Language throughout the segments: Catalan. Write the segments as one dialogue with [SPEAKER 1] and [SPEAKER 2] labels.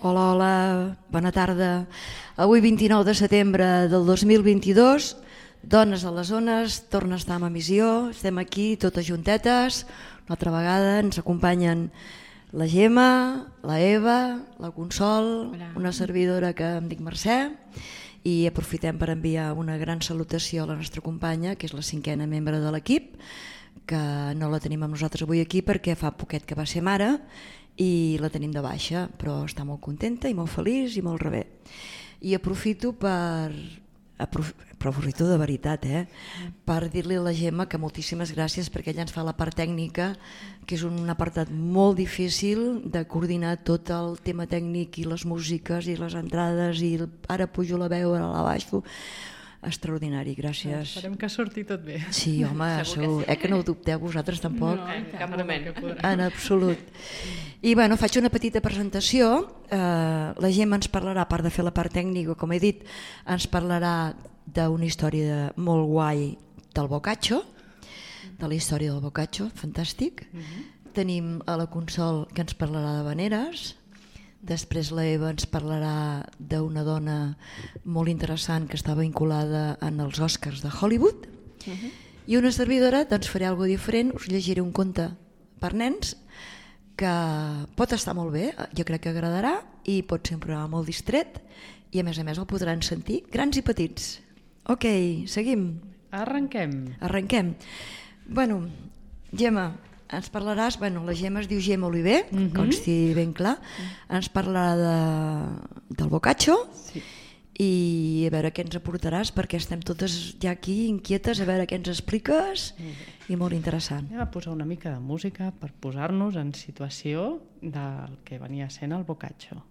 [SPEAKER 1] Hola, hola, bona tarda. Avui 29 de setembre del 2022, Dones a les Ones, torna a estar en emissió, estem aquí totes juntetes, una altra vegada ens acompanyen la Gemma, la Eva, la Consol, una servidora que em dic Mercè, i aprofitem per enviar una gran salutació a la nostra companya, que és la 5a membre de l'equip, que no la tenim amb nosaltres avui aquí perquè fa poquet que va ser mare i la tenim de baixa, però està molt contenta i molt feliç i molt rebé. I aprofito aprofito de veritat, per dir-li a la Gemma que moltíssimes gràcies perquè ella ens fa la part tècnica, que és un apartat molt difícil de coordinar tot el tema tècnic i les músiques i les entrades i ara pujo la veu, ara la baixo. Extraordinari, gràcies.
[SPEAKER 2] Esperem que surti tot bé.
[SPEAKER 1] Sí, home, segur. Que no ho dubteu vosaltres tampoc?
[SPEAKER 2] No, en cap moment.
[SPEAKER 1] En absolut. I bueno, faig una petita presentació. La Gemma ens parlarà, a part de fer la part tècnica, com he dit, ens parlarà d'una història molt guai del Boccaccio, de la història del Boccaccio, fantàstic. Tenim a la Consol, que ens parlarà d'havaneres. Després la Eva ens parlarà d'una dona molt interessant que està vinculada en els Oscars de Hollywood. I una servidora, doncs faré alguna cosa diferent, us llegiré un conte per nens que pot estar molt bé, jo crec que agradarà, i pot ser un programa molt distret i a més el podran sentir grans i petits. Ok, seguim. Arrenquem. Bueno, Gemma, ens parlaràs, la Gemma es diu Gemma Oliver, consti ben clar, ens parlarà del Boccaccio i a veure què ens aportaràs, perquè estem totes ja aquí inquietes, a veure què ens expliques, i molt interessant.
[SPEAKER 2] Anem a posar una mica de música per posar-nos en situació del que venia sent el Boccaccio.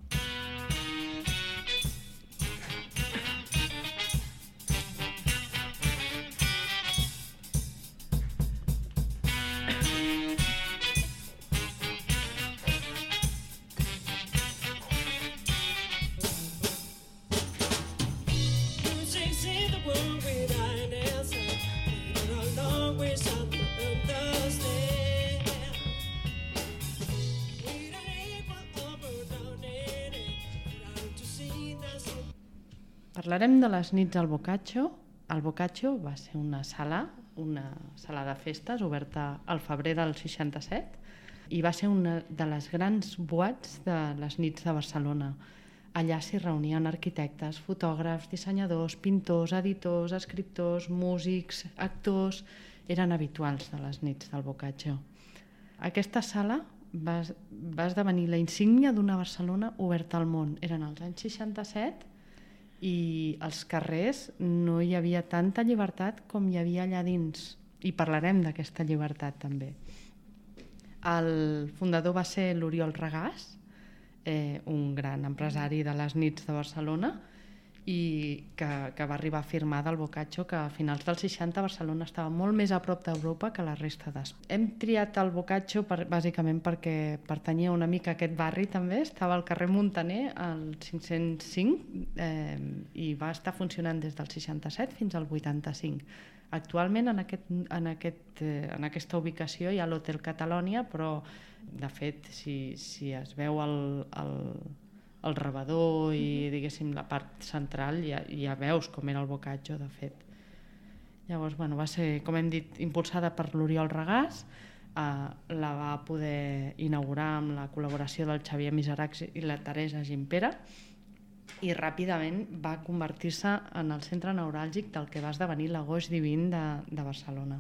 [SPEAKER 2] Parlarem de les nits al Boccaccio. El Boccaccio va ser una sala de festes oberta al febrer del 67 i va ser una de les grans boîtes de les nits de Barcelona. Allà s'hi reunien arquitectes, fotògrafs, dissenyadors, pintors, editors, escriptors, músics, actors. Eren habituals de les nits del Boccaccio. Aquesta sala va esdevenir la insígnia d'una Barcelona oberta al món. Eren els anys 67 i als carrers no hi havia tanta llibertat com hi havia allà dins, i parlarem d'aquesta llibertat també. El fundador va ser l'Oriol Regàs, un gran empresari de les nits de Barcelona, i que va arribar a afirmar del Boccaccio que a finals dels 60 Barcelona estava molt més a prop d'Europa que la resta d'Espanya. Hem triat el Boccaccio bàsicament perquè pertanyia una mica a aquest barri també, estava al carrer Muntaner, al 505, i va estar funcionant des del 67 fins al 85. Actualment en aquesta ubicació hi ha l'Hotel Catalònia, però de fet si es veu el rebedor i diguéssim la part central ja veus com era el Boccaccio de fet. Llavors va ser, com hem dit, impulsada per l'Oriol Regàs, la va poder inaugurar amb la col·laboració del Xavier Miseracs i la Teresa Gimpera i ràpidament va convertir-se en el centre neuràlgic del que va esdevenir l'agost divin de Barcelona.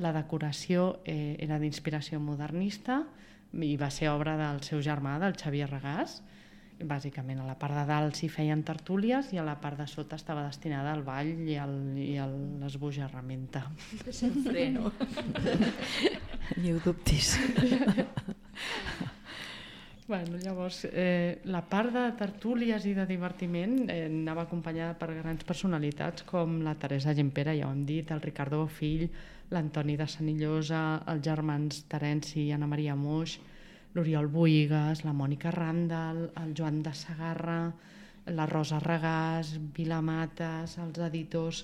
[SPEAKER 2] La decoració era d'inspiració modernista i va ser obra del seu germà, del Xavier Regàs. Bàsicament a la part de dalt s'hi feien tertúlies i a la part de sota estava destinada al ball i a l'esbojarramenta.
[SPEAKER 1] Freno. Ni ho dubtis.
[SPEAKER 2] Llavors, la part de tertúlies i de divertiment anava acompanyada per grans personalitats com la Teresa Gimpera, ja ho hem dit, el Ricardo Bofill, l'Antoni de Senillosa, els germans Terenci i Anna Maria Moix, l'Oriol Bohigas, la Mònica Randall, el Joan de Segarra, la Rosa Regàs, Vila Mates, els editors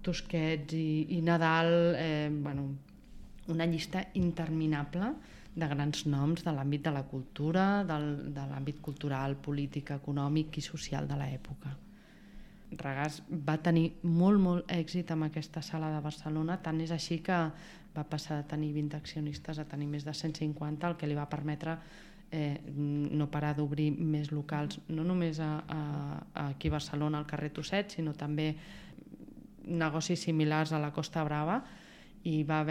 [SPEAKER 2] Tusquets i Nadal, una llista interminable grans noms de l'àmbit de la cultura, de l'àmbit cultural, polític, econòmic i social de l'època. Regàs va tenir molt èxit amb aquesta sala de Barcelona, tant és així que va passar de tenir 20 accionistes a tenir més de 150, el que li va permetre no parar d'obrir més locals, no només aquí a Barcelona, al carrer Tosset, sinó també negocis similars a la Costa Brava, i va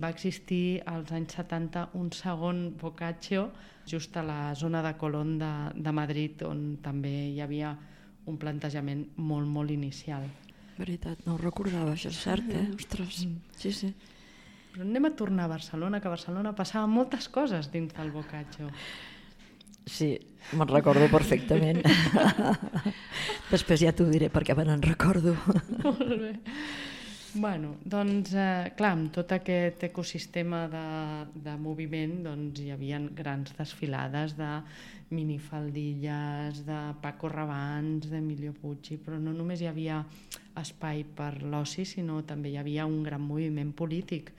[SPEAKER 2] existir als anys 70 un segon Boccaccio just a la zona de Colón de Madrid, on també hi havia un plantejament molt inicial.
[SPEAKER 1] Veritat, no ho recordava, això és cert, Ostres, sí.
[SPEAKER 2] Però anem a tornar a Barcelona, que a Barcelona passaven moltes coses dins del Boccaccio.
[SPEAKER 1] Sí, me'n recordo perfectament. Després ja t'ho diré perquè me n'en recordo.
[SPEAKER 2] Molt bé. Bueno, doncs, clar, amb tot aquest ecosistema de moviment doncs, hi havia grans desfilades de minifaldilles, de Paco Rabanne, d'Emilio Pucci, però no només hi havia espai per l'oci, sinó també hi havia un gran moviment polític.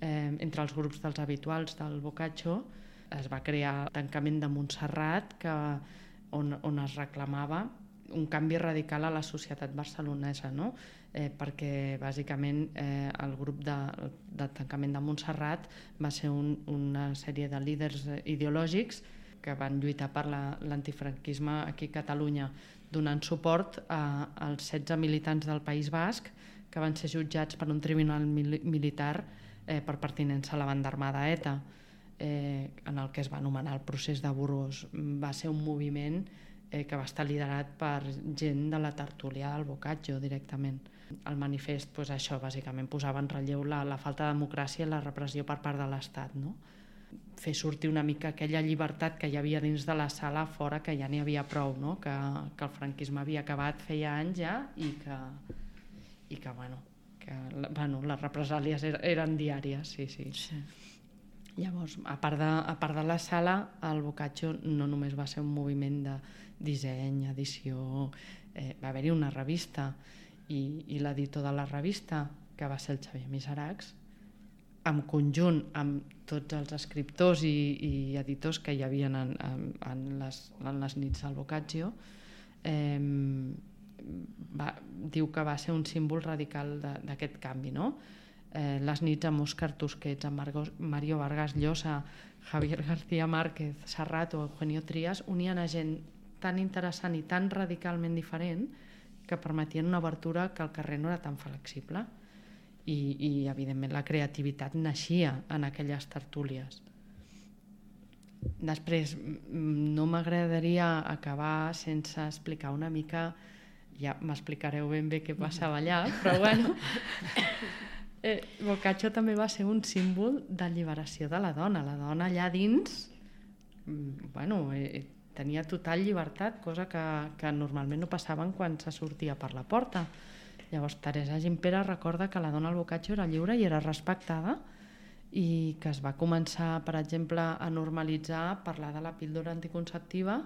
[SPEAKER 2] Entre els grups dels habituals del Boccaccio es va crear el tancament de Montserrat, on es reclamava un canvi radical a la societat barcelonesa, no? Perquè bàsicament el grup de tancament de Montserrat va ser una sèrie de líders ideològics que van lluitar per l'antifranquisme aquí a Catalunya, donant suport als 16 militants del País Basc que van ser jutjats per un tribunal militar per pertinença a la banda armada ETA, en el que es va anomenar el procés de Burgos. Va ser un moviment que va estar liderat per gent de la tertúlia del Boccaccio directament. El manifest, això bàsicament posava en relleu la falta de democràcia i la repressió per part de l'Estat, no? Fer sortir una mica aquella llibertat que hi havia dins de la sala fora, que ja n'hi havia prou, no? Que el franquisme havia acabat feia anys ja i que les represàlies eren diàries, sí. Llavors, a part de la sala, el Boccaccio no només va ser un moviment de disseny, edició, va haver-hi una revista i l'editor de la revista, que va ser el Xavier Miseracs, en conjunt amb tots els escriptors i editors que hi havia en les nits del Boccaccio, diu que va ser un símbol radical d'aquest canvi, no? Les nits amb Òscar Tusquets, amb Mario Vargas Llosa, Javier García Márquez, Serrat o Eugenio Trías unien a gent tan interessant i tan radicalment diferent que permetien una obertura que el carrer no era tan flexible i evidentment la creativitat naixia en aquelles tertúlies. Després, no m'agradaria acabar sense explicar una mica, ja m'explicareu ben bé què passava allà, però bueno, Boccaccio també va ser un símbol d'alliberació de la dona. La dona allà dins tenia total llibertat, cosa que normalment no passaven quan se sortia per la porta. Llavors Teresa Gimpera recorda que la dona al Boccaccio era lliure i era respectada i que es va començar, per exemple, a normalitzar parlar de la píldora anticonceptiva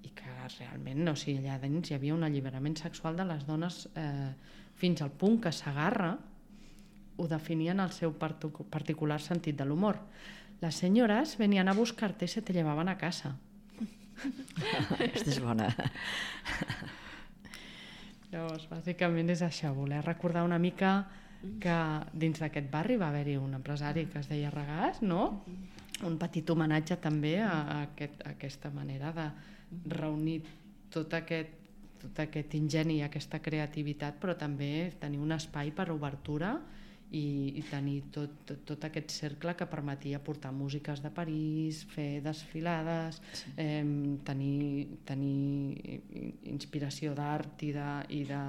[SPEAKER 2] i que realment, allà dins hi havia un alliberament sexual de les dones fins al punt que Sagarra ho definien el seu particular sentit de l'humor. Las señoras venían a buscarte y se te llevaban a casa.
[SPEAKER 1] Aquesta és bona.
[SPEAKER 2] Llavors, bàsicament és això, voler recordar una mica que dins d'aquest barri va haver-hi un empresari que es deia Regàs, no? Un petit homenatge també a aquesta manera de reunir tot aquest ingeni i aquesta creativitat, però també tenir un espai per obertura i tenir tot aquest cercle que permetia portar músiques de París, fer desfilades, tenir inspiració d'art i de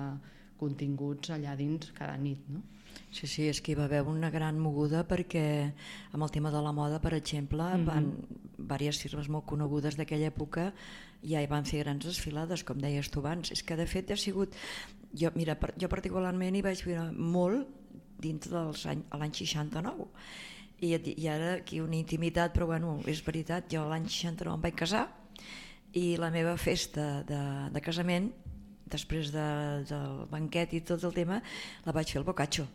[SPEAKER 2] continguts allà dins cada nit, no?
[SPEAKER 1] Sí, és que hi va haver una gran moguda perquè amb el tema de la moda, per exemple, diverses firmes molt conegudes d'aquella època ja hi van fer grans desfilades, com deies tu abans. És que de fet ha sigut... Jo particularment hi vaig viure molt dins l'any 69 i ara aquí una intimitat, però bueno, és veritat, jo l'any 69 em vaig casar i la meva festa de casament, després del banquet i tot el tema, la vaig fer al Boccaccio,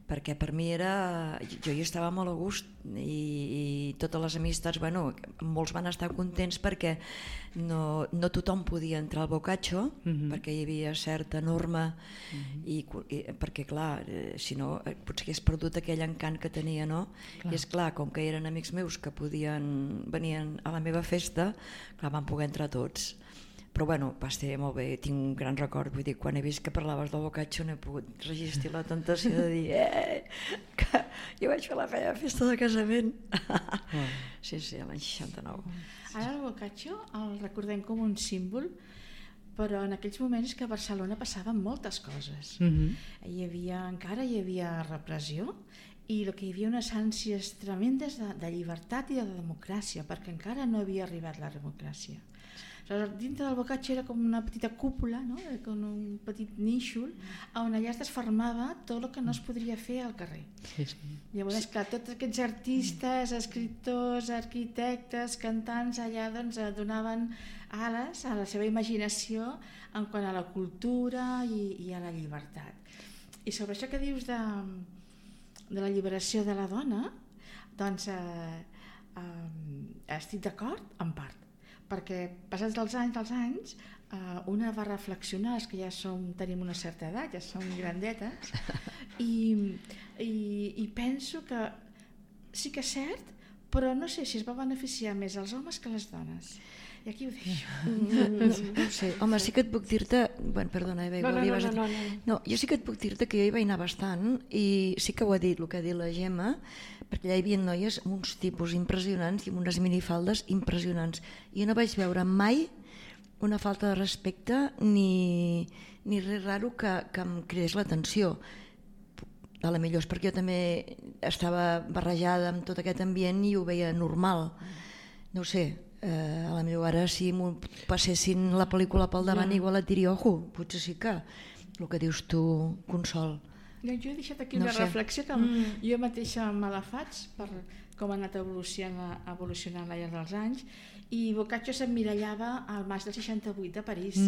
[SPEAKER 1] perquè per mi era... Jo hi estava molt a gust i totes les amistats, bueno, molts van estar contents perquè no tothom podia entrar al Boccaccio, perquè hi havia certa norma i perquè clar, si no potser hagués perdut aquell encant que tenia, no? I és clar, com que eren amics meus que venien a la meva festa, clar, van poder entrar tots. Però bueno, va ser molt bé, tinc un gran record, vull dir, quan he vist que parlaves del Boccaccio no he pogut resistir la tentació de dir que jo vaig fer la meva festa de casament. Sí, l'any 69.
[SPEAKER 3] Ara el Boccaccio el recordem com un símbol, però en aquells moments que a Barcelona passaven moltes coses. Encara hi havia repressió i el que hi havia unes ànsies tremendes de llibertat i de democràcia, perquè encara no havia arribat la democràcia. Dintre del Boccaccio era com una petita cúpula, no? Com un petit nínxol on allà es desfermava tot el que no es podria fer al carrer. Llavors, clar, tots aquests artistes, escriptors, arquitectes, cantants, allà doncs, donaven ales a la seva imaginació en quant a la cultura i a la llibertat. I sobre això que dius de la lliberació de la dona, doncs estic d'acord en part, perquè passats els anys una va reflexionar, els que ja tenim una certa edat, ja som grandetes, i penso que sí que és cert, però no sé si es va beneficiar més els homes que les dones. I aquí ho deixo.
[SPEAKER 1] No sé, home, sí que et puc dir-te... Bueno, perdona, Eva, no, jo sí que et puc dir-te que jo hi vaig anar bastant i sí que ho ha dit, el que ha dit la Gemma, perquè allà hi havia noies amb uns tipus impressionants i amb unes minifaldes impressionants. I jo no vaig veure mai una falta de respecte ni res raro que em cridés l'atenció. A la millor és perquè jo també estava barrejada amb tot aquest ambient i ho veia normal. No ho sé, a la millor ara si m'ho passessin la pel·lícula pel davant igual et diria, ojo, potser sí que el que dius tu, Consol.
[SPEAKER 3] Jo he deixat aquí una reflexió que jo mateixa me la faig per com ha anat evolucionant al llarg dels anys, i Boccaccio s'emmirallava al maig del 68 de París.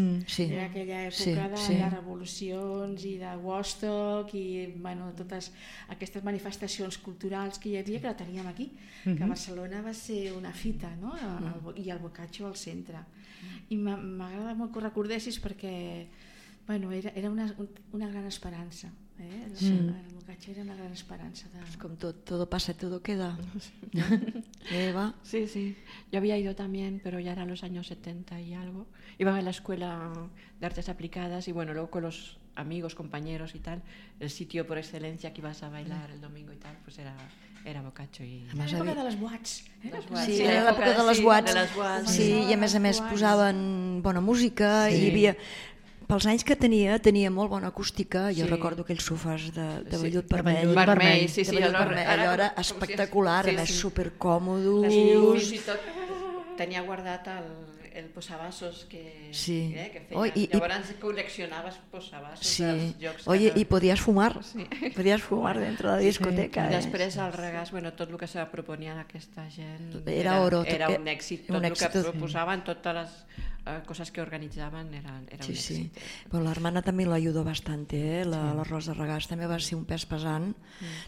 [SPEAKER 3] Era aquella època de revolucions i de Woodstock i totes aquestes manifestacions culturals que hi havia, que la teníem aquí, que a Barcelona va ser una fita, no? I el Boccaccio al centre. I m'agrada molt que ho recordessis perquè era una gran esperança. El Boccaccio era una gran esperanza.
[SPEAKER 1] Como todo pasa, todo queda. Eva.
[SPEAKER 4] Sí. Yo había ido también, pero ya eran los años 70 y algo. Iba a la escuela de artes aplicadas y bueno, luego con los amigos, compañeros y tal, el sitio por excelencia que ibas a bailar el domingo y tal, pues era Boccaccio.
[SPEAKER 3] Era l'època de les boats.
[SPEAKER 1] Sí, era l'època de les boats. Sí, i a més posaven bona música i hi havia... Pels anys que tenia molt bona acústica, jo recordo aquells sofàs de vellut vermell. Allò era espectacular, a més supercòmodos.
[SPEAKER 4] Fins i tot tenia guardat el posavasos que feia. Llavors col·leccionaves posavasos dels jocs.
[SPEAKER 1] Oye, i podies fumar dentro de la discoteca.
[SPEAKER 4] I després al regàs, tot el que se proponia aquesta gent
[SPEAKER 1] era
[SPEAKER 4] un èxit. Tot el que proposaven, totes les cosas que organizaban eran un éxito.
[SPEAKER 1] Bueno, la hermana també l'ayudó bastante, la Rosa Regàs també va ser un pes pesant.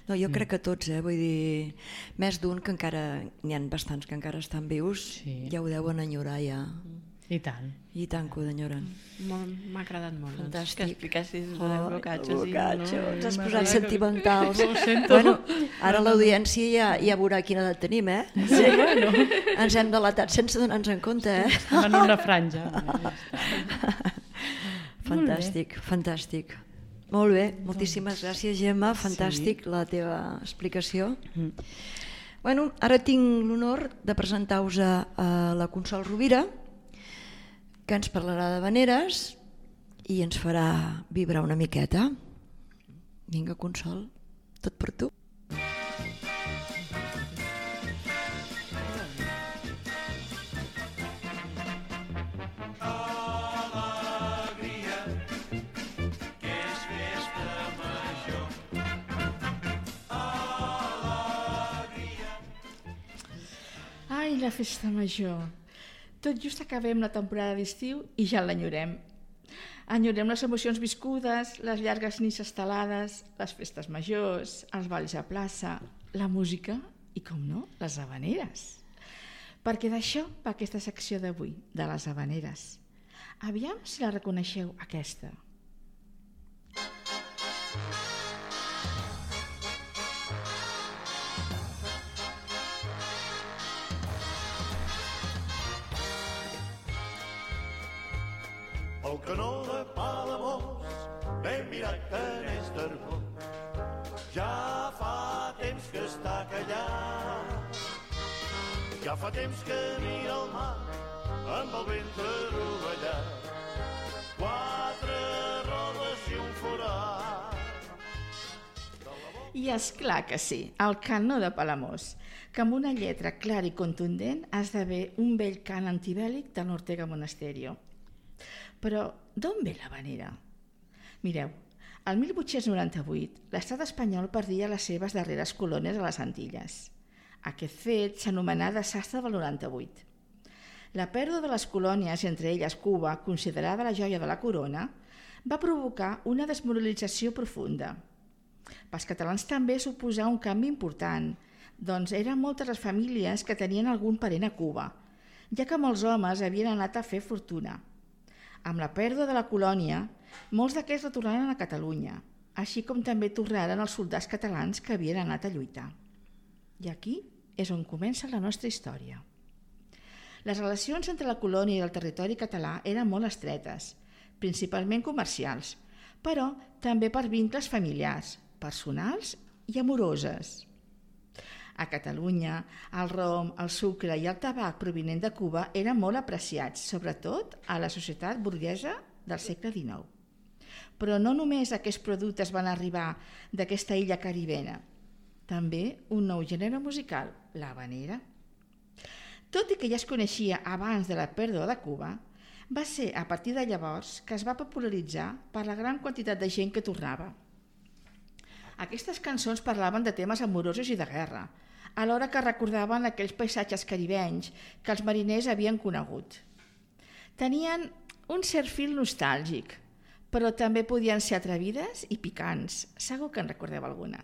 [SPEAKER 1] No, jo crec que tots, vull dir, més d'un que encara, n'hi ha bastants que encara estan vius, ja ho deuen enyorar ja.
[SPEAKER 2] I tant.
[SPEAKER 1] I tant que ho enyoren.
[SPEAKER 4] M'ha agradat molt
[SPEAKER 1] que
[SPEAKER 4] expliquessis el Boccaccio.
[SPEAKER 1] Ens has posat sentimentals. Bueno, ara l'audiència ja veurà quina edat tenim, Sí, ens hem delatat sense donar-nos en compte,
[SPEAKER 2] Estem en una franja.
[SPEAKER 1] Fantàstic. Molt bé, moltíssimes gràcies, Gemma, fantàstic la teva explicació. Bueno, ara tinc l'honor de presentar-vos a la Consol Rovira, que ens parlarà de veneres i ens farà vibrar una miqueta. Vinga, Consol, tot per tu.
[SPEAKER 3] Ai, la festa major. Tot just acabem la temporada d'estiu i ja l'enyorem. Enyorem les emocions viscudes, les llargues nits estelades, les festes majors, els balls a plaça, la música i, com no, les havaneres. Perquè d'això va aquesta secció d'avui, de les havaneres. Aviam si la reconeixeu, aquesta.
[SPEAKER 5] El canó de Palamós, ben mirat que n'és d'Arbós, ja fa temps que està callat. Ja fa temps que mira el mar amb el ventre rovellat, 4 rodes i un forat.
[SPEAKER 3] I és clar que sí, el canó de Palamós, que amb una lletra clara i contundent esdevé un vell cant antibèl·lic de l'Ortega Monasterio. Però d'on ve l'havanera? Mireu, el 1898 l'estat espanyol perdia les seves darreres colònies a les Antilles. Aquest fet s'anomenà desastre del 98. La pèrdua de les colònies, entre elles Cuba, considerada la joia de la corona, va provocar una desmoralització profunda. Pels catalans també suposà un canvi important, doncs eren moltes les famílies que tenien algun parent a Cuba, ja que molts homes havien anat a fer fortuna. Amb la pèrdua de la colònia, molts d'aquests retornaren a Catalunya, així com també tornaren els soldats catalans que havien anat a lluitar. I aquí és on comença la nostra història. Les relacions entre la colònia i el territori català eren molt estretes, principalment comercials, però també per vincles familiars, personals i amoroses. A Catalunya, el rom, el sucre i el tabac provinent de Cuba eren molt apreciats, sobretot a la societat burguesa del segle XIX. Però no només aquests productes van arribar d'aquesta illa caribena, també un nou gènere musical, l'havanera. Tot i que ja es coneixia abans de la pèrdua de Cuba, va ser a partir de llavors que es va popularitzar per la gran quantitat de gent que tornava. Aquestes cançons parlaven de temes amorosos i de guerra, alhora que recordaven aquells paisatges caribenys que els mariners havien conegut. Tenien un cert fil nostàlgic, però també podien ser atrevides i picants, segur que en recordeu alguna.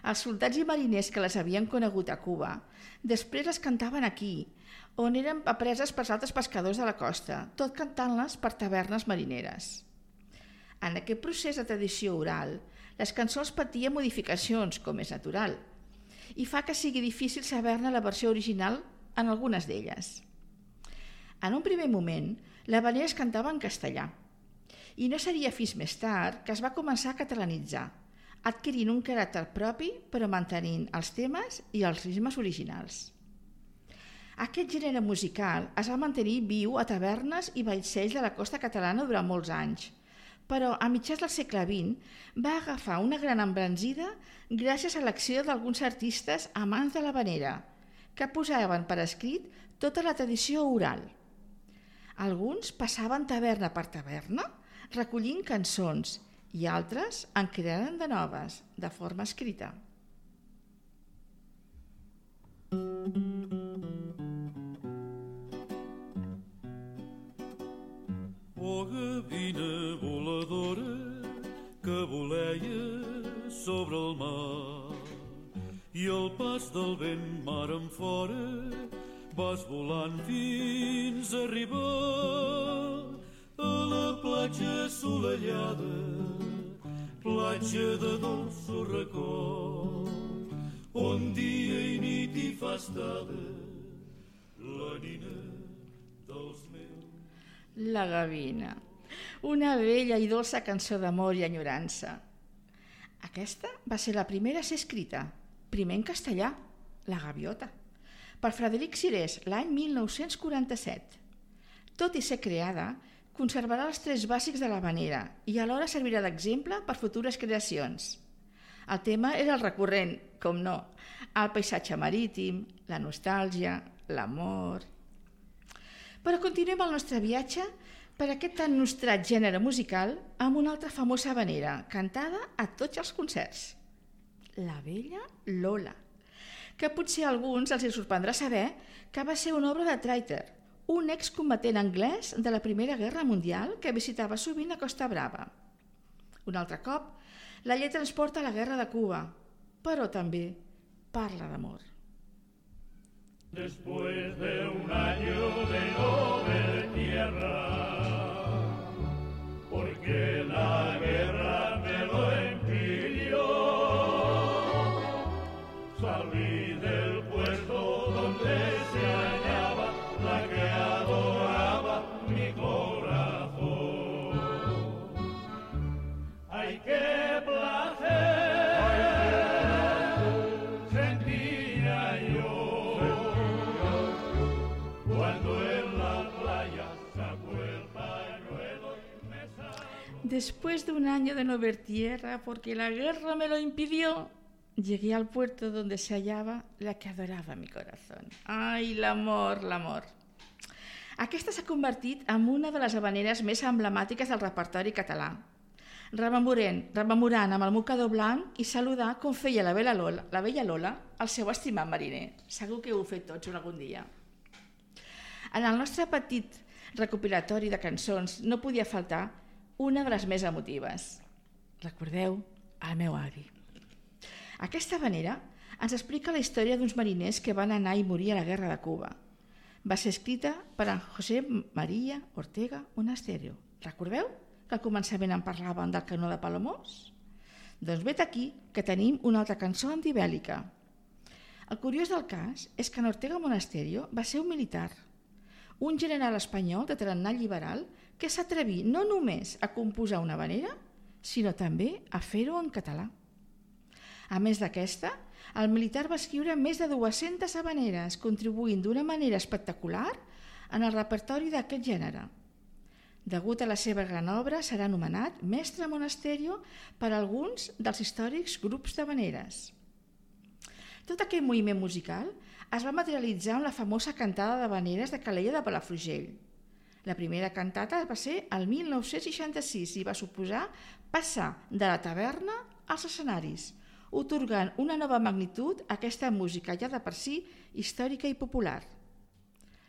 [SPEAKER 3] Els soldats i mariners que les havien conegut a Cuba després les cantaven aquí, on eren apreses pels altres pescadors de la costa, tot cantant-les per tavernes marineres. En aquest procés de tradició oral, les cançons patien modificacions, com és natural, i fa que sigui difícil saber-ne la versió original en algunes d'elles. En un primer moment, l'havanera es cantava en castellà, i no seria fins més tard que es va començar a catalanitzar, adquirint un caràcter propi però mantenint els temes i els ritmes originals. Aquest gènere musical es va mantenir viu a tavernes i vaixells de la costa catalana durant molts anys, però a mitjans del segle XX va agafar una gran embranzida gràcies a l'acció d'alguns artistes amants de l'havanera, que posaven per escrit tota la tradició oral. Alguns passaven taverna per taverna recollint cançons i altres en crearen de noves, de forma escrita.
[SPEAKER 6] Oh, gavina voladora que voleia sobre el mar i al pas del vent mar en fora vas volant fins a arribar a la platja assolellada, platja de dolços record, on dia i nit hi fa estada la nina dels meus.
[SPEAKER 3] La gavina, una bella i dolça cançó d'amor i enyorança. Aquesta va ser la primera a ser escrita, primer en castellà, La gaviota, per Frederic Sirés l'any 1947. Tot i ser creada, conservarà els trets bàsics de l'havanera i alhora servirà d'exemple per futures creacions. El tema era el recurrent, com no, el paisatge marítim, la nostàlgia, l'amor. Però continuem el nostre viatge per aquest tan nostrat gènere musical amb una altra famosa havanera, cantada a tots els concerts. La vella Lola, que potser a alguns els sorprendrà saber que va ser una obra de Trayter, un excombatent anglès de la Primera Guerra Mundial que visitava sovint a Costa Brava. Un altre cop, la lletra ens porta a la Guerra de Cuba, però també parla d'amor.
[SPEAKER 6] Después de un año de no ver tierra, porque la guerra me lo impidió, salí del puerto donde se hallaba la que adoraba mi corazón. ¡Ay, qué placer sentía yo cuando en la playa sacó el pañuelo y me sacó!
[SPEAKER 3] Después de un año de no ver tierra, porque la guerra me lo impidió, llegué al puerto donde se hallaba la que adorava mi corazón. Ai, l'amor, l'amor. Aquesta s'ha convertit en una de les havaneres més emblemàtiques del repertori català. Rememorant amb el mocador blanc i saludar com feia la vella Lola el seu estimat mariner. Segur que ho heu fet tots algun dia. En el nostre petit recopilatori de cançons no podia faltar una de les més emotives. Recordeu el meu avi. Aquesta havanera ens explica la història d'uns mariners que van anar i morir a la Guerra de Cuba. Va ser escrita per en José María Ortega Monasterio. Recordeu que al començament en parlàvem del canó de Palamós? Doncs vet aquí que tenim una altra cançó antibèl·lica. El curiós del cas és que en Ortega Monasterio va ser un militar, un general espanyol de tarannà liberal que s'atreví no només a composar una havanera, sinó també a fer-ho en català. A més d'aquesta, el militar va escriure més de 200 havaneres, contribuint d'una manera espectacular en el repertori d'aquest gènere. Degut a la seva gran obra, serà anomenat Mestre Monasterio per alguns dels històrics grups d'havaneres. Tot aquest moviment musical es va materialitzar en la famosa cantada d'havaneres de Calella de Palafrugell. La primera cantata va ser el 1966 i va suposar passar de la taverna als escenaris, atorgant una nova magnitud a aquesta música ja de per si històrica i popular.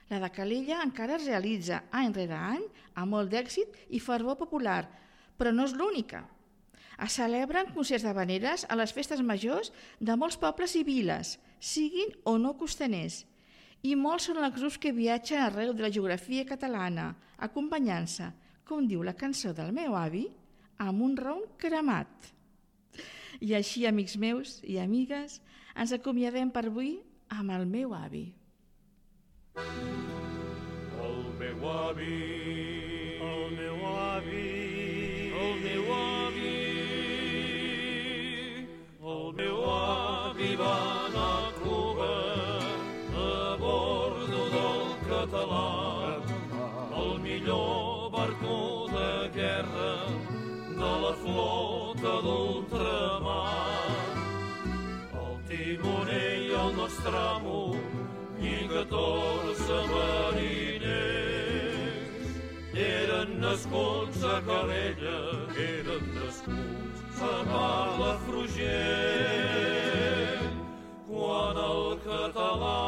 [SPEAKER 3] La de Calella encara es realitza any rere any amb molt d'èxit i fervor popular, però no és l'única. Es celebren concerts d'havaneres a les festes majors de molts pobles i viles, siguin o no costaners, i molts són els grups que viatgen arreu de la geografia catalana, acompanyant-se, com diu la cançó del meu avi, amb un ron cremat. I així, amics meus i amigues, ens acomiadem per avui amb el meu avi.
[SPEAKER 6] El meu avi, el meu avi, el meu avi, el meu avi va anar a Cuba a bordo del Català, el millor barco de guerra de la flota d'ultramar. El timoner i el nostre amo i 14 mariners eren nascuts a Calella, eren nascuts a Palafrugell. Quan el català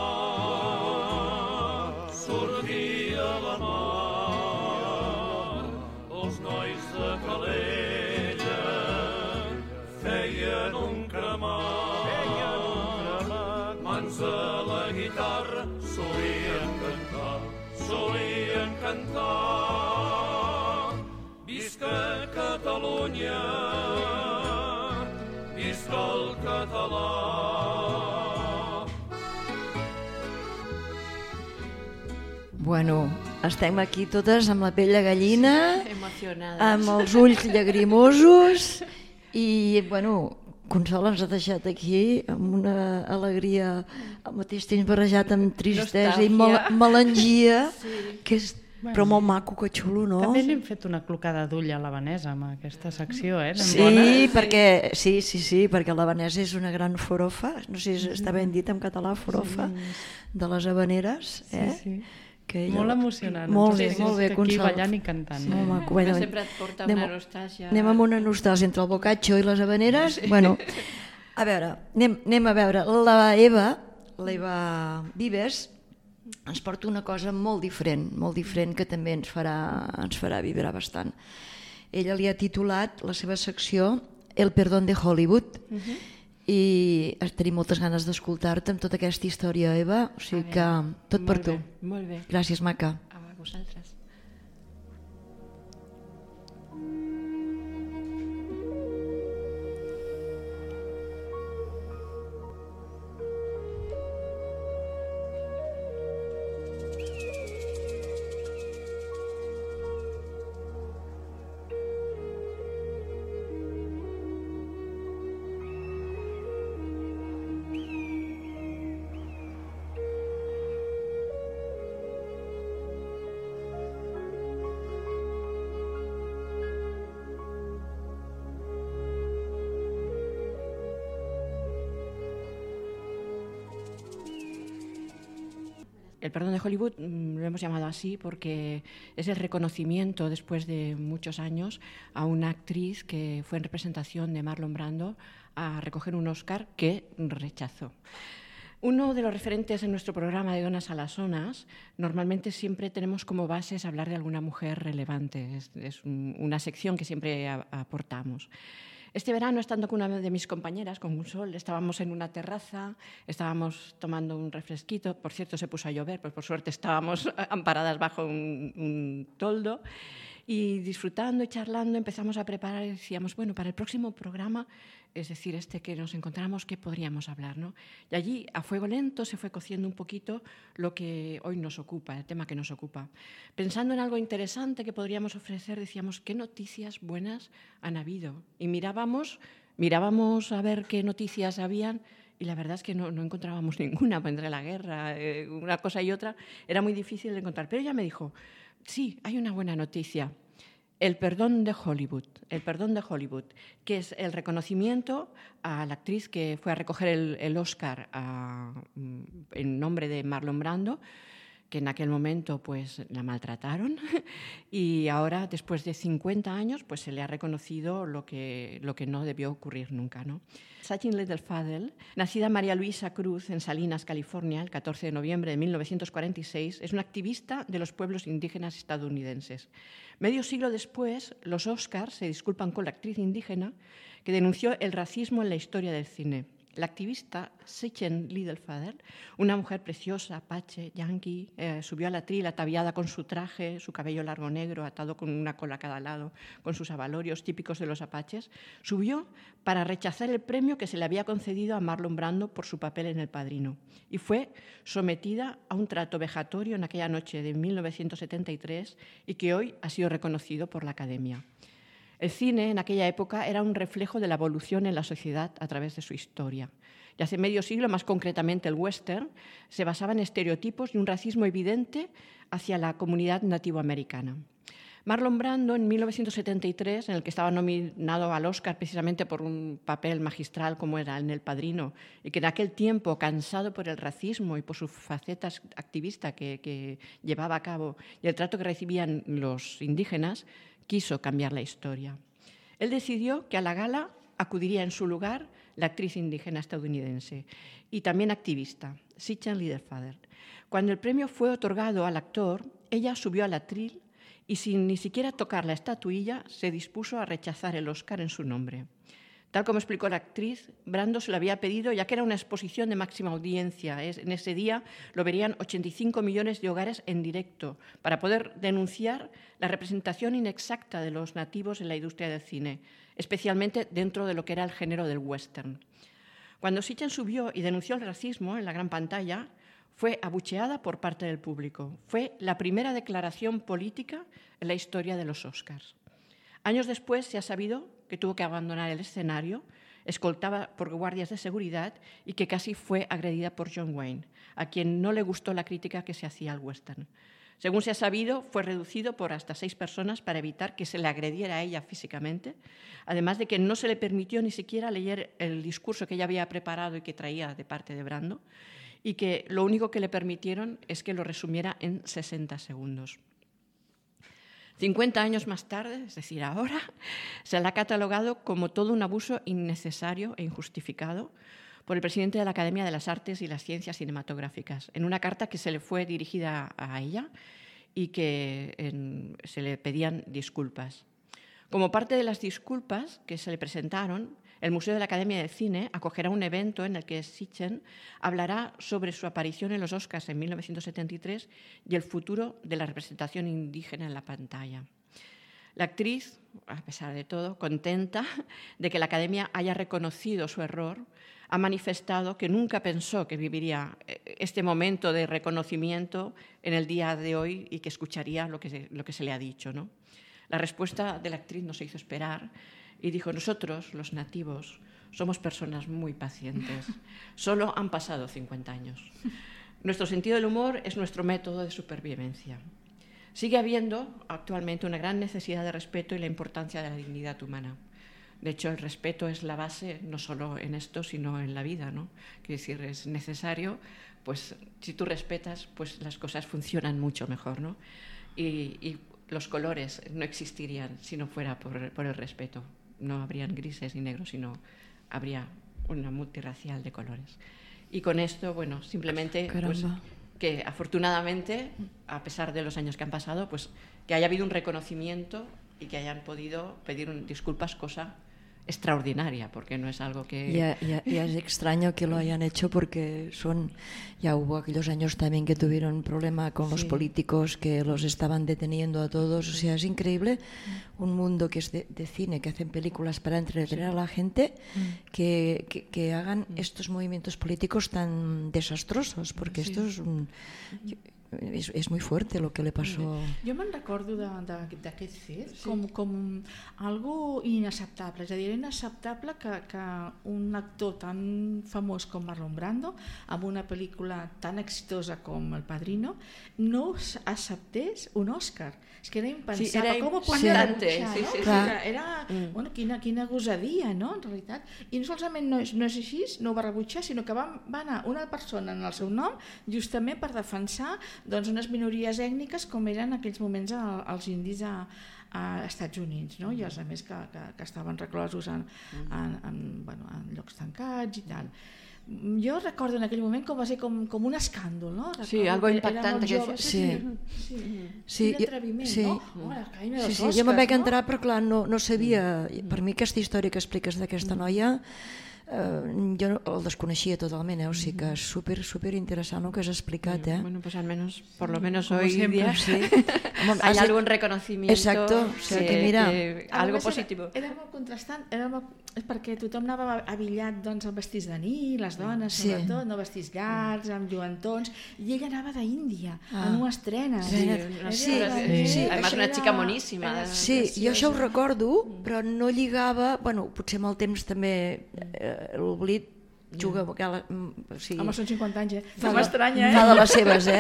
[SPEAKER 6] sortia a la mar, els nois de Calella feien un cremat, mans a la guitarra solien cantar. Visca Catalunya, visca el català.
[SPEAKER 1] Bueno, estem aquí totes amb la pell de gallina,
[SPEAKER 4] Emocionades.
[SPEAKER 1] amb els ulls llagrimosos i, bueno, Consol ens ha deixat aquí amb una alegria al mateix temps barrejat amb tristesa i melangia, que és però molt maco, que xulo, no?
[SPEAKER 2] També n'hem fet una clocada d'ull a l'havanesa amb aquesta secció,
[SPEAKER 1] Sí, perquè, perquè l'havanesa és una gran forofa, no sé si està ben dit en català, forofa, de les havaneres,
[SPEAKER 2] Sí. Molt emocionant.
[SPEAKER 1] Molt bé,
[SPEAKER 2] Aquí
[SPEAKER 1] Consol.
[SPEAKER 2] ballant i cantant.
[SPEAKER 1] Molt maco.
[SPEAKER 4] Que sempre et porta una nostàlgia.
[SPEAKER 1] Anem amb una nostàlgia entre el bocatxo i les havaneres. Bueno, a veure, anem a veure. L'Eva Vives ens porta una cosa molt diferent que també ens farà vibrar bastant. Ella li ha titulat la seva secció El perdón de Hollywood, i tenim moltes ganes d'escoltar-te amb tota aquesta història, Eva, o sigui que tot per tu.
[SPEAKER 4] Molt bé.
[SPEAKER 1] Gràcies, maca.
[SPEAKER 4] A vosaltres. El perdón de Hollywood lo hemos llamado así porque es el reconocimiento después de muchos años a una actriz que fue en representación de Marlon Brando a recoger un Oscar que rechazó. Uno de los referentes en nuestro programa de Donas a las Zonas, normalmente siempre tenemos como bases hablar de alguna mujer relevante. Es una sección que siempre aportamos. Este verano, estando con una de mis compañeras, con Consol, estábamos en una terraza, estábamos tomando un refresquito. Por cierto, se puso a llover, pues por suerte estábamos amparadas bajo un toldo. Y disfrutando y charlando empezamos a preparar y decíamos, bueno, para el próximo programa, es decir, que nos encontramos, ¿qué podríamos hablar, ¿no? Y allí, a fuego lento, se fue cociendo un poquito lo que hoy nos ocupa, el tema que nos ocupa. Pensando en algo interesante que podríamos ofrecer, decíamos, ¿qué noticias buenas han habido? Y mirábamos a ver qué noticias habían, y la verdad es que no encontrábamos ninguna, entre la guerra, una cosa y otra, era muy difícil de encontrar. Pero ella me dijo, sí, hay una buena noticia. El perdón de Hollywood, que es el reconocimiento a la actriz que fue a recoger el Oscar en nombre de Marlon Brando, que en aquel momento pues la maltrataron y ahora, después de 50 años, pues se le ha reconocido lo que no debió ocurrir nunca, ¿no? Sachin Littlefadel, nacida María Luisa Cruz en Salinas, California, el 14 de noviembre de 1946, es una activista de los pueblos indígenas estadounidenses. Medio siglo después, los Oscars se disculpan con la actriz indígena que denunció el racismo en la historia del cine. La activista Sachin Littlefadel, una mujer preciosa, apache, yanqui, subió al atril ataviada con su traje, su cabello largo negro, atado con una cola a cada lado, con sus abalorios típicos de los apaches, subió para rechazar el premio que se le había concedido a Marlon Brando por su papel en El Padrino y fue sometida a un trato vejatorio en aquella noche de 1973 y que hoy ha sido reconocido por la Academia. El cine en aquella época era un reflejo de la evolución en la sociedad a través de su historia. Y hace medio siglo, más concretamente el western, se basaba en estereotipos y un racismo evidente hacia la comunidad nativoamericana. Marlon Brando, en 1973, en el que estaba nominado al Oscar precisamente por un papel magistral como era en El Padrino, y que en aquel tiempo, cansado por el racismo y por su faceta activista que llevaba a cabo y el trato que recibían los indígenas, quiso cambiar la historia. Él decidió que a la gala acudiría en su lugar la actriz indígena estadounidense y también activista, Sachin Littlefadel. Cuando el premio fue otorgado al actor, ella subió al atril y sin ni siquiera tocar la estatuilla se dispuso a rechazar el Oscar en su nombre. Tal como explicó la actriz, Brando se lo había pedido ya que era una exposición de máxima audiencia. En ese día lo verían 85 millones de hogares en directo para poder denunciar la representación inexacta de los nativos en la industria del cine, especialmente dentro de lo que era el género del western. Cuando Sachin subió y denunció el racismo en la gran pantalla, fue abucheada por parte del público. Fue la primera declaración política en la historia de los Oscars. Años después se ha sabido que tuvo que abandonar el escenario, escoltada por guardias de seguridad y que casi fue agredida por John Wayne, a quien no le gustó la crítica que se hacía al western. Según se ha sabido, fue reducido por hasta 6 personas para evitar que se le agrediera a ella físicamente, además de que no se le permitió ni siquiera leer el discurso que ella había preparado y que traía de parte de Brando, y que lo único que le permitieron es que lo resumiera en 60 segundos. 50 años más tarde, es decir, ahora, se la ha catalogado como todo un abuso innecesario e injustificado, por el presidente de la Academia de las Artes y las Ciencias Cinematográficas, en una carta que se le fue dirigida a ella y que se le pedían disculpas. Como parte de las disculpas que se le presentaron, el Museo de la Academia de Cine acogerá un evento en el que Sitchin hablará sobre su aparición en los Oscars en 1973 y el futuro de la representación indígena en la pantalla. La actriz, a pesar de todo, contenta de que la Academia haya reconocido su error, ha manifestado que nunca pensó que viviría este momento de reconocimiento en el día de hoy y que escucharía lo que se le ha dicho, ¿no? La respuesta de la actriz no se hizo esperar y dijo: nosotros, los nativos, somos personas muy pacientes. Solo han pasado 50 años. Nuestro sentido del humor es nuestro método de supervivencia. Sigue habiendo actualmente una gran necesidad de respeto y la importancia de la dignidad humana. De hecho, el respeto es la base no solo en esto, sino en la vida, ¿no? Quiero decir, es necesario, pues si tú respetas, pues las cosas funcionan mucho mejor, ¿no? Y los colores no existirían si no fuera por el respeto. No habrían grises ni negros, sino habría una multirracial de colores. Y con esto, bueno, simplemente pues, que afortunadamente, a pesar de los años que han pasado, pues que haya habido un reconocimiento y que hayan podido pedir disculpas, cosa extraordinaria, porque no es algo que...
[SPEAKER 1] Ya es extraño que lo hayan hecho porque ya hubo aquellos años también que tuvieron un problema con los políticos que los estaban deteniendo a todos, o sea, es increíble un mundo que es de cine, que hacen películas para entretener a la gente, que hagan estos movimientos políticos tan desastrosos, porque esto és muy fuerte lo que le passó.
[SPEAKER 3] Jo me'n recordo d'aquest fet com algo inacceptable, és a dir, era inacceptable que un actor tan famós com Marlon Brando, amb una pel·lícula tan exitosa com El Padrino, no acceptés un Òscar. És que era impensable.
[SPEAKER 4] Sí, era
[SPEAKER 3] com ho podia
[SPEAKER 4] impactant,
[SPEAKER 3] no?
[SPEAKER 4] sí.
[SPEAKER 3] Era quina gosadia, no? En realitat. I no solament no és així, no ho va rebutjar, sinó que va anar una persona en el seu nom justament per defensar unes minories ètniques com eren en aquells moments els indis a Estats Units, no? I els altres que estaven reclosos en llocs tancats i tal. Jo recordo en aquell moment com va ser com un escàndol, no?
[SPEAKER 4] Sí, algo impactant.
[SPEAKER 3] Sí, l'atreviment, no?
[SPEAKER 1] Sí, jo me'n vaig entrar però clar, no sabia, per mi aquesta història que expliques d'aquesta noia jo el desconeixia totalment, o sigui que és super interessant el que has explicat.
[SPEAKER 4] Bueno, pues al menos, por lo menos hoy día hay algún reconocimiento.
[SPEAKER 1] Exacto, o sea que mira,
[SPEAKER 4] algo positivo.
[SPEAKER 3] Era molt contrastant, és perquè tothom anava abillat amb vestits de nit, les dones sobretot, no vestits llargs, amb lluentons, i ella anava d'Índia, en unes trenes.
[SPEAKER 4] Sí, además una chica moníssima.
[SPEAKER 1] Sí, jo això ho recordo, però no lligava, bueno, potser amb el temps també l'oblit juga
[SPEAKER 3] home, són 50 anys, no m'estranya,
[SPEAKER 1] fa de les seves,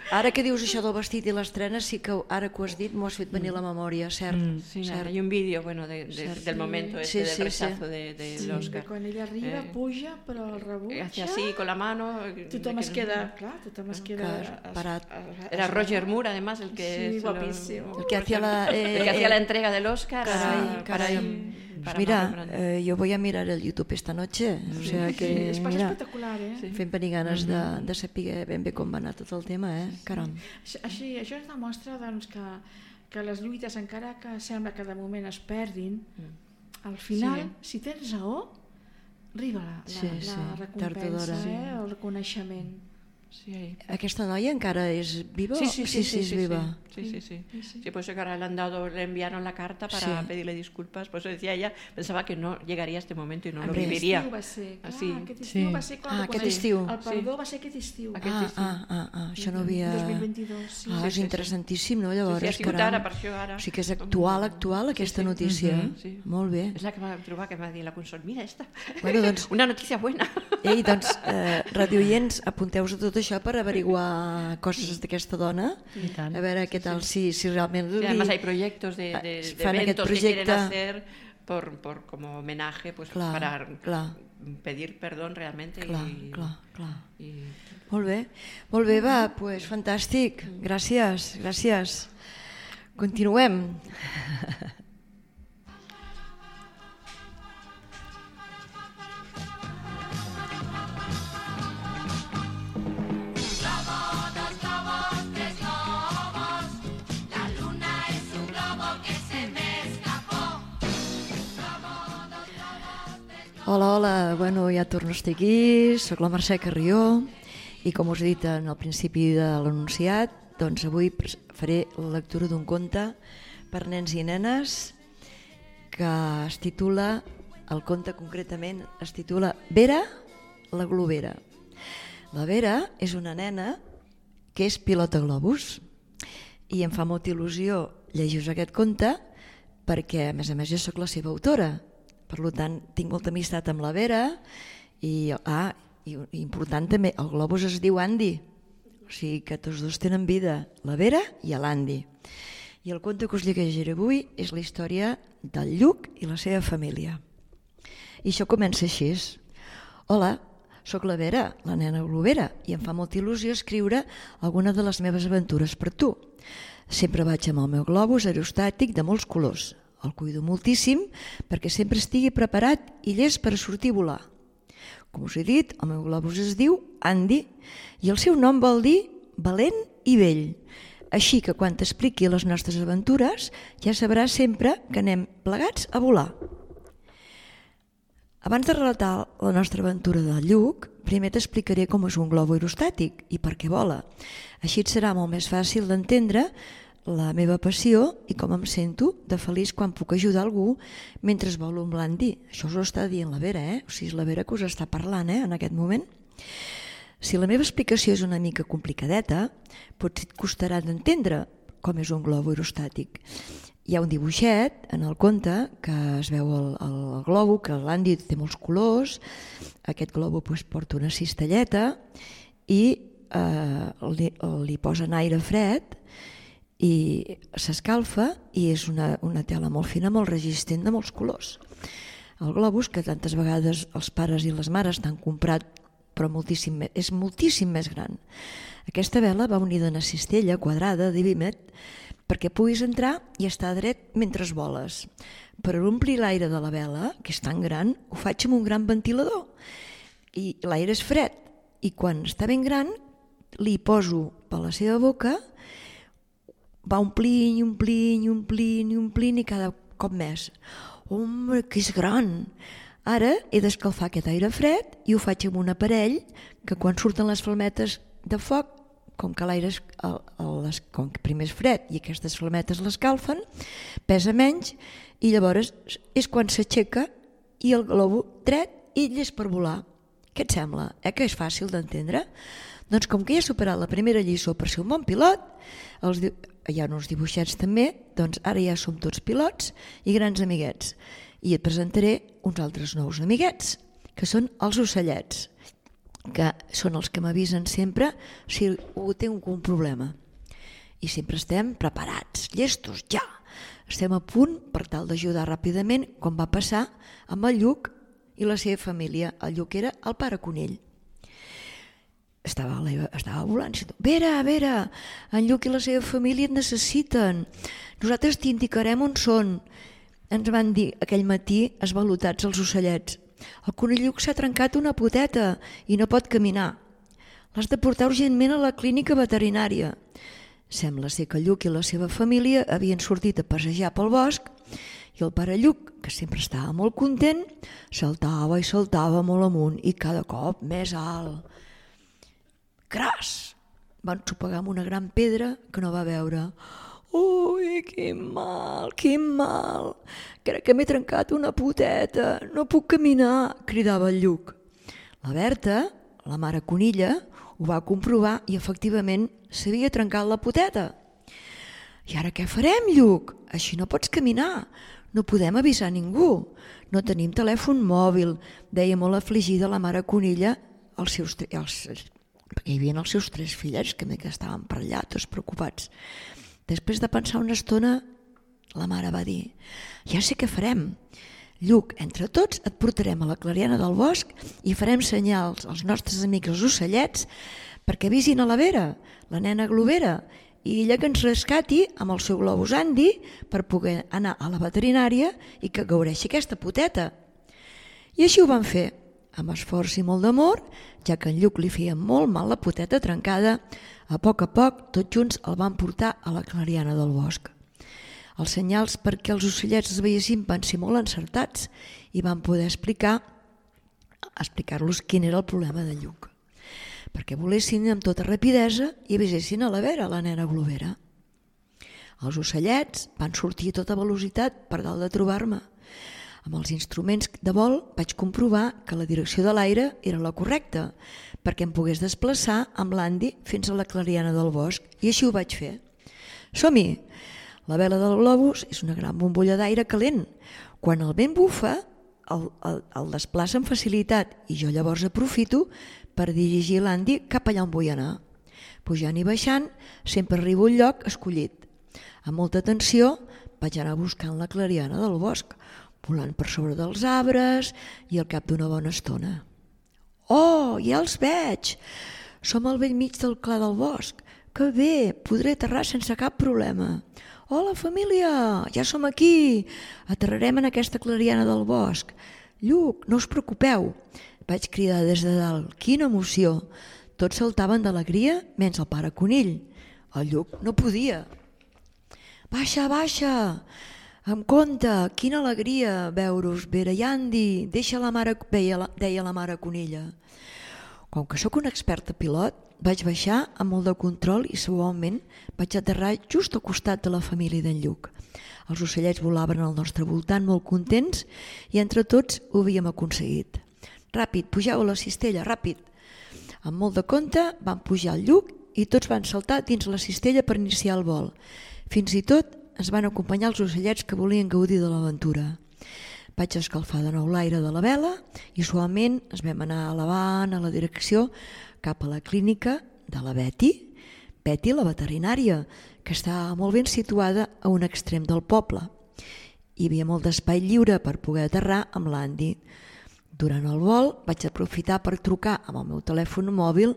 [SPEAKER 1] Ara que dius això del vestit i les trenes, sí que ara que ho has dit m'ho has fet venir a la memòria, cert.
[SPEAKER 4] Sí, hay un vídeo del momento del rechazo del Oscar.
[SPEAKER 3] Quan ella arriba, puja, però el rebutja.
[SPEAKER 4] Hace así con la mano.
[SPEAKER 3] Tothom es queda
[SPEAKER 1] parat.
[SPEAKER 4] Era Roger Moore, además, el que
[SPEAKER 1] hacía
[SPEAKER 4] la entrega del Oscar.
[SPEAKER 1] Caray. Pues mira, yo voy a mirar el YouTube esta noche, o sea que
[SPEAKER 3] és espectacular,
[SPEAKER 1] fent venir ganes de saber ben bé com va anar tot el tema, caram.
[SPEAKER 3] Així, això es demostra que les lluites, encara que sembla que de moment es perdin, al final, si tens raó, arriba la recompensa, el reconeixement.
[SPEAKER 1] Aquesta noia encara és viva?
[SPEAKER 4] Sí,
[SPEAKER 1] és viva.
[SPEAKER 4] Sí, pues ahora le enviaron la carta para pedirle disculpas, pues decía ella, pensaba que no llegaría a este momento y no lo viviría.
[SPEAKER 3] Aquest estiu va ser quan
[SPEAKER 1] aquest estiu.
[SPEAKER 3] El perdó va ser aquest estiu.
[SPEAKER 1] Això no havia...
[SPEAKER 3] 2022.
[SPEAKER 1] És interessantíssim, no? Llavors,
[SPEAKER 4] ha sigut ara, per això ara.
[SPEAKER 1] O sigui que és actual aquesta notícia. Molt bé.
[SPEAKER 4] És la que va trobar, que va dir la Consol, mira esta,
[SPEAKER 1] una
[SPEAKER 4] notícia buena.
[SPEAKER 1] Ei, doncs, radioients, apunteu-vos a tot això per averiguar coses d'aquesta dona, a veure què tal, si realment...
[SPEAKER 4] Además hay proyectos de eventos que quieren hacer como homenaje, pues para pedir perdón realmente.
[SPEAKER 1] Clar. Molt bé, va, pues fantàstic, gràcies. Continuem. Hola, bueno, ja torno a estar aquí, soc la Mercè Carrió i com us he dit en el principi de l'anunciat, doncs avui faré la lectura d'un conte per nens i nenes que es titula, el conte concretament es titula Vera, la globera. La Vera és una nena que és pilota globus i em fa molta il·lusió llegir-vos aquest conte perquè a més jo sóc la seva autora. Per tant, tinc molta amistat amb la Vera i important també, el globus es diu Andy, o sigui que tots dos tenen vida, la Vera i l'Andy. I el conte que us llegiré avui és la història del Lluc i la seva família. I això comença així. Hola, sóc la Vera, la nena globera, i em fa molta il·lusió escriure alguna de les meves aventures per tu. Sempre vaig amb el meu globus aerostàtic de molts colors. El cuido moltíssim perquè sempre estigui preparat i llest per a sortir a volar. Com us he dit, el meu globus es diu Andy i el seu nom vol dir valent i vell. Així que quan t'expliqui les nostres aventures ja sabràs sempre que anem plegats a volar. Abans de relatar la nostra aventura del Lluc, primer t'explicaré com és un globo aerostàtic i per què vola. Així et serà molt més fàcil d'entendre la meva passió i com em sento de feliç quan puc ajudar algú mentre volo amb l'Andy. Això us ho està dient la Vera, O sigui, és la Vera que us està parlant, en aquest moment. Si la meva explicació és una mica complicadeta, potser et costarà d'entendre com és un globo aerostàtic. Hi ha un dibuixet en el conte que es veu el globo, que l'Andy té molts colors, aquest globo porta una cistelleta i li posen aire fred i s'escalfa i és una tela molt fina, molt resistent, de molts colors. El globus, que tantes vegades els pares i les mares t'han comprat, però és moltíssim més gran. Aquesta vela va unida a una cistella quadrada de vímet perquè puguis entrar i estar dret mentre voles. Per omplir l'aire de la vela, que és tan gran, ho faig amb un gran ventilador i l'aire és fred i quan està ben gran li poso per la seva boca, va omplint i omplint i omplint i omplint i cada cop més. Home, que és gran! Ara he d'escalfar aquest aire fred i ho faig amb un aparell que quan surten les flametes de foc, com que l'aire primer és fred i aquestes flametes l'escalfen, pesa menys i llavors és quan s'aixeca i el globo dret i llest per volar. Què et sembla? Que és fàcil d'entendre? Doncs com que ja he superat la primera lliçó per ser un bon pilot, hi ha uns dibuixets també, doncs ara ja som tots pilots i grans amiguets. I et presentaré uns altres nous amiguets, que són els ocellets, que són els que m'avisen sempre si tinc un problema. I sempre estem preparats, llestos, ja! Estem a punt per tal d'ajudar ràpidament, com va passar amb el Lluc i la seva família. El Lluc era el pare Conill. Estava volant, Vera, en Lluc i la seva família et necessiten, nosaltres t'indicarem on són. Ens van dir aquell matí esvalotats els ocellets. El conill Lluc s'ha trencat una poteta i no pot caminar. L'has de portar urgentment a la clínica veterinària. Sembla ser que Lluc i la seva família havien sortit a passejar pel bosc i el pare Lluc, que sempre estava molt content, saltava i saltava molt amunt i cada cop més alt. Cras! Va ensopegar amb una gran pedra que no va veure. Ui, quin mal, quin mal! Crec que m'he trencat una poteta, no puc caminar, cridava el Lluc. La Berta, la mare conilla, ho va comprovar i efectivament s'havia trencat la poteta. I ara què farem, Lluc? Així no pots caminar, no podem avisar ningú. No tenim telèfon mòbil, deia molt afligida la mare conilla perquè hi havia els seus 3 fillets que estaven per allà, tots preocupats. Després de pensar una estona, la mare va dir: ja sé què farem. Lluc, entre tots et portarem a la clariana del bosc i farem senyals als nostres amics els ocellets perquè avisin a la Vera, la nena globera, i ella que ens rescati amb el seu globus Andy per poder anar a la veterinària i que gaudeixi aquesta poteta. I així ho van fer, amb esforç i molt d'amor, ja que en Lluc li feia molt mal la poteta trencada. A poc, tots junts el van portar a la clariana del bosc. Els senyals perquè els ocellets es veiessin van ser molt encertats i van poder explicar explicar-los quin era el problema d'en Lluc, perquè volessin amb tota rapidesa i avisessin a la Vera, la nena globera. Els ocellets van sortir a tota velocitat per dalt de trobar-me. Amb els instruments de vol vaig comprovar que la direcció de l'aire era la correcta, perquè em pogués desplaçar amb l'Andy fins a la clariana del bosc, i així ho vaig fer. Som-hi! La vela del globus és una gran bombolla d'aire calent. Quan el vent bufa, el desplaça amb facilitat i jo llavors aprofito per dirigir l'Andy cap allà on vull anar. Pujant i baixant, sempre arribo al lloc escollit. Amb molta atenció vaig anar buscant la clariana del bosc, volant per sobre dels arbres i al cap d'una bona estona. Oh, ja els veig! Som al bell mig del clar del bosc. Que bé, podré aterrar sense cap problema. Hola, família, ja som aquí. Aterrarem en aquesta clariana del bosc. Lluc, no us preocupeu. Vaig cridar des de dalt. Quina emoció! Tots saltaven d'alegria, menys el pare Conill. El Lluc no podia. Baixa, baixa! Amb compte, quina alegria veure-us, Vera i Andy, deia la mare Conilla. Com que sóc un experta pilot, vaig baixar amb molt de control i suaument vaig aterrar just al costat de la família d'en Lluc. Els ocellets volaven al nostre voltant molt contents i entre tots ho havíem aconseguit. Ràpid, pugeu a la cistella, ràpid! Amb molt de compte van pujar al Lluc i tots van saltar dins la cistella per iniciar el vol. Fins i tot ens van acompanyar els ocellets que volien gaudir de l'aventura. Vaig escalfar de nou l'aire de la vela i suaument ens vam anar elevant a la direcció cap a la clínica de la Betty, la veterinària, que estava molt ben situada a un extrem del poble. Hi havia molt d'espai lliure per poder aterrar amb l'Andy. Durant el vol vaig aprofitar per trucar amb el meu telèfon mòbil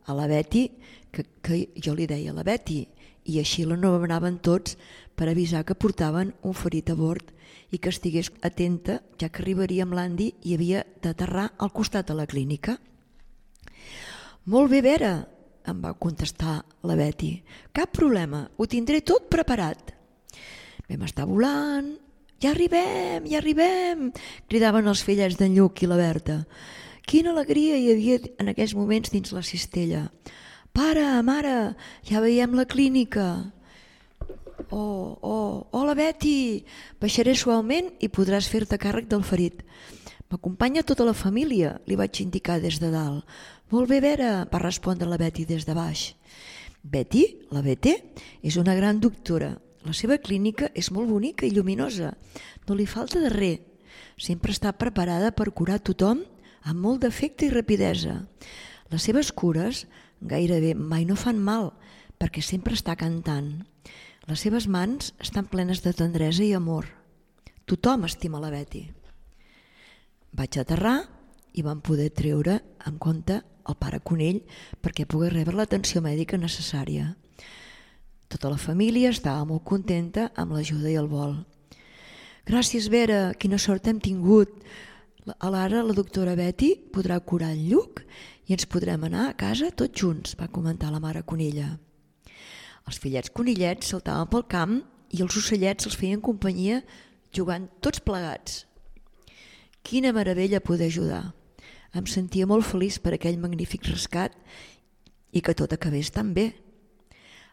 [SPEAKER 1] a la Betty, que jo li deia la Betty, i així l'anomenaven tots per avisar que portaven un ferit a bord i que estigués atenta, ja que arribaria amb l'Andy i havia d'aterrar al costat de la clínica. Molt bé, Vera, em va contestar la Betty. Cap problema, ho tindré tot preparat. Vam estar volant. Ja arribem, cridaven els fillets d'en Lluc i la Berta. Quina alegria hi havia en aquells moments dins la cistella. Pare, mare, ja veiem la clínica. Hola Betty, baixaré suaument i podràs fer-te càrrec del ferit. M'acompanya tota la família, li vaig indicar des de dalt. Molt bé, Vera, va respondre la Betty des de baix. Betty, la Betty, és una gran doctora. La seva clínica és molt bonica i lluminosa. No li falta de res. Sempre està preparada per curar tothom amb molt d'efecte i rapidesa. Les seves cures gairebé mai no fan mal, perquè sempre està cantant. Les seves mans estan plenes de tendresa i amor. Tothom estima la Betty. Vaig aterrar i vam poder treure en compte el pare Conill perquè pogués rebre l'atenció mèdica necessària. Tota la família estava molt contenta amb l'ajuda i el vol. Gràcies, Vera, quina sort hem tingut. Ara la doctora Betty podrà curar el Lluc i ens podrem anar a casa tots junts, va comentar la mare Conilla. Els fillets conillets saltaven pel camp i els ocellets els feien companyia jugant tots plegats. Quina meravella poder ajudar. Em sentia molt feliç per aquell magnífic rescat i que tot acabés tan bé.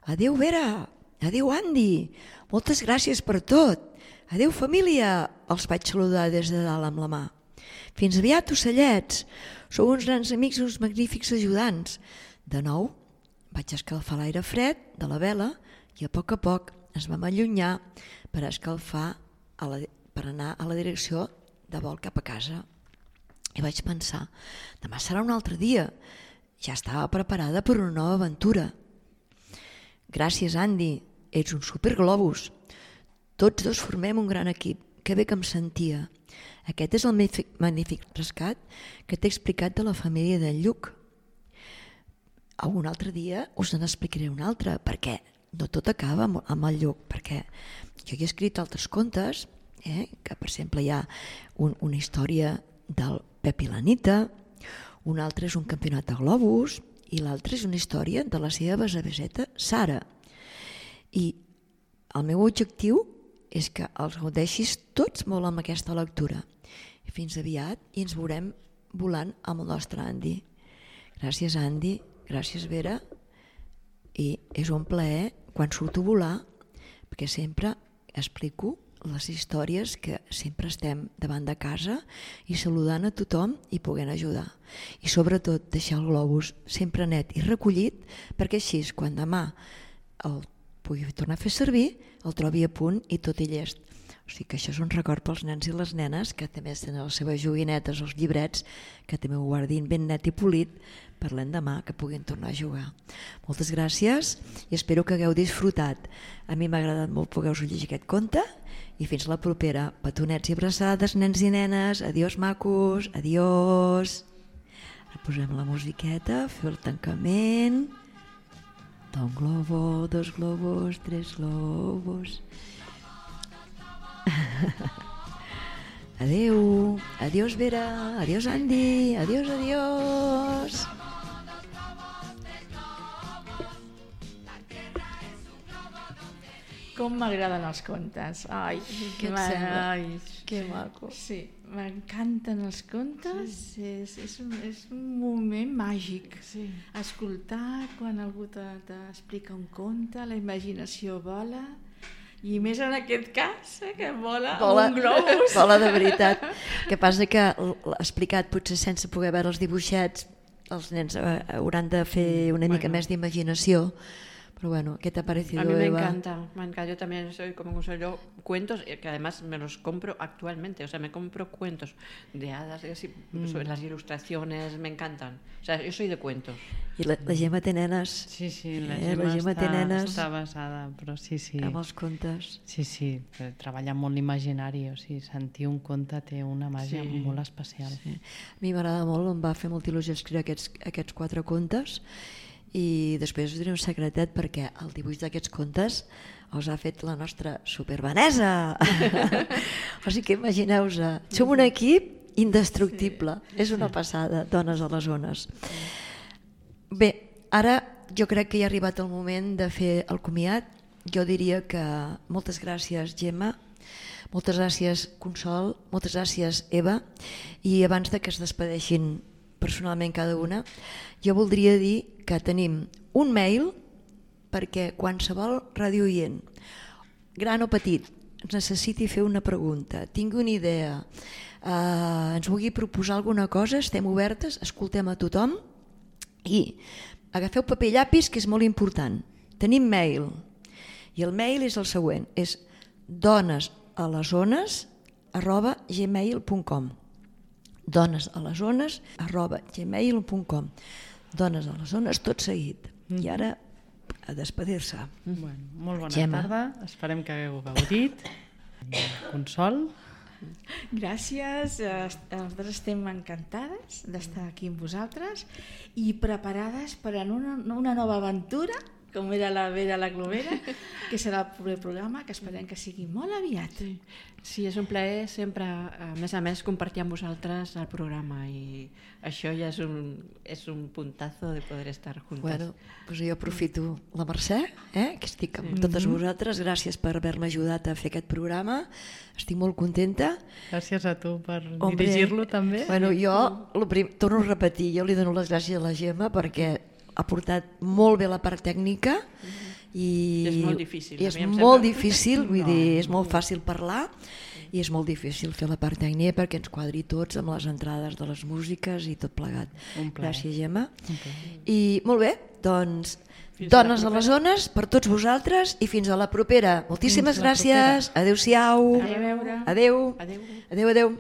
[SPEAKER 1] Adéu, Vera! Adéu, Andy! Moltes gràcies per tot! Adéu, família! Els vaig saludar des de dalt amb la mà. Fins aviat, ocellets! Sou uns grans amics i uns magnífics ajudants. De nou, vaig escalfar l'aire fred de la vela i a poc ens vam allunyar per escalfar per anar a la direcció de vol cap a casa. I vaig pensar, demà serà un altre dia. Ja estava preparada per una nova aventura. Gràcies, Andy, ets un superglobus. Tots dos formem un gran equip. Que bé que em sentia. Aquest és el magnífic rescat que t'he explicat de la família d'en Lluc. Un altre dia us n'explicaré un altre, perquè no tot acaba amb el Lluc, perquè jo he escrit altres contes, que per exemple hi ha una història del Pep i l'Anita, un altre és un campionat de globus i l'altre és una història de la seva besaveseta Sara. I el meu objectiu és que els gaudeixis tots molt amb aquesta lectura. Fins aviat i ens veurem volant amb el nostre Andy. Gràcies, Andy, gràcies, Vera, i és un plaer quan surto a volar, perquè sempre explico les històries que sempre estem davant de casa i saludant a tothom i podent ajudar. I sobretot deixar el globus sempre net i recollit, perquè així, quan demà el pugui tornar a fer servir, el trobi a punt i tot i llest. O sigui que això és un record pels nens i les nenes que també tenen les seves joguinetes, els llibrets, que també ho guardin ben net i polit per l'endemà que puguin tornar a jugar. Moltes gràcies i espero que hagueu disfrutat. A mi m'ha agradat molt poder-vos llegir aquest conte i fins la propera. Petonets i abraçades, nens i nenes. Adiós, macos. Adiós. Ara posem la musiqueta, fer el tancament. Un globo, dos globos, tres globos. Adeu. Adiós, Vera. Adiós, Andy. Adiós, adiós.
[SPEAKER 3] Com m'agraden els contes. Ai,
[SPEAKER 1] Què et sembla?
[SPEAKER 3] ai,
[SPEAKER 1] Que maco.
[SPEAKER 3] Sí, m'encanten els contes. Sí. És un moment màgic.
[SPEAKER 4] Sí.
[SPEAKER 3] Escoltar quan algú t'explica un conte, la imaginació vola, i més en aquest cas, que vola un globus.
[SPEAKER 1] Vola de veritat. Que passa que explicat potser sense poder veure els dibuixets, els nens hauran de fer una mica més d'imaginació. Pero bueno, ¿qué te ha parecido,
[SPEAKER 4] A mí me
[SPEAKER 1] Eva?
[SPEAKER 4] encanta. Yo también soy como un yo cuentos que además me los compro actualmente. O sea, me compro cuentos de hadas, así, las ilustraciones me encantan. O sea, yo soy de cuentos.
[SPEAKER 1] I la Gemma té nenes.
[SPEAKER 2] Sí,
[SPEAKER 1] la Gemma té nenes
[SPEAKER 2] està basada, però sí.
[SPEAKER 1] amb els contes.
[SPEAKER 2] Sí, treballa molt l'imaginari, o sigui, sentir un conte té una màgia molt especial.
[SPEAKER 1] Sí. A mi m'agrada molt, em va fer molta il·lusió escriure aquests 4 contes i després us diré un secretet perquè el dibuix d'aquests contes els ha fet la nostra supervanesa. O sigui que imagineu-vos, som un equip indestructible, és una passada, dones a les zones. Bé, ara jo crec que ja ha arribat el moment de fer el comiat. Jo diria que moltes gràcies, Gemma, moltes gràcies, Consol, moltes gràcies, Eva, i abans de que es despedeixin personalment cada una, jo voldria dir que tenim un mail perquè qualsevol radiooient, gran o petit, ens necessiti fer una pregunta, tingui una idea, ens vulgui proposar alguna cosa, estem obertes, escoltem a tothom i agafeu paper i llapis, que és molt important. Tenim mail i el mail és el següent, és donesalesones@gmail.com donesalesones@gmail.com Dones a les zones, tot seguit. I ara, a despedir-se.
[SPEAKER 2] Bueno, molt bona
[SPEAKER 1] Gemma.
[SPEAKER 2] tarda, esperem que hagueu gaudit. Consol.
[SPEAKER 3] Gràcies, nosaltres estem encantades d'estar aquí amb vosaltres i preparades per a una nova aventura, com era la Vera la Glomera, que serà el proper programa, que esperem que sigui molt aviat.
[SPEAKER 4] Sí, és un plaer sempre, a més, compartir amb vosaltres el programa i això ja és un puntazo de poder estar juntes.
[SPEAKER 1] Bueno, doncs jo aprofito la Mercè, que estic amb totes vosaltres. Gràcies per haver-me ajudat a fer aquest programa. Estic molt contenta.
[SPEAKER 2] Gràcies a tu per dirigir-lo també.
[SPEAKER 1] Bueno, jo torno a repetir, jo li dono les gràcies a la Gemma perquè ha portat molt bé la part tècnica i
[SPEAKER 4] és molt difícil.
[SPEAKER 1] És molt difícil, vull dir, és molt fàcil parlar i és molt difícil fer la part tècnica perquè ens quadri tots amb les entrades de les músiques i tot plegat. Gràcies, Gemma. I molt bé, doncs dones a les zones per tots vosaltres i fins a la propera. Moltíssimes gràcies. Adéu-siau.
[SPEAKER 3] A veure.
[SPEAKER 1] Adéu. Adéu.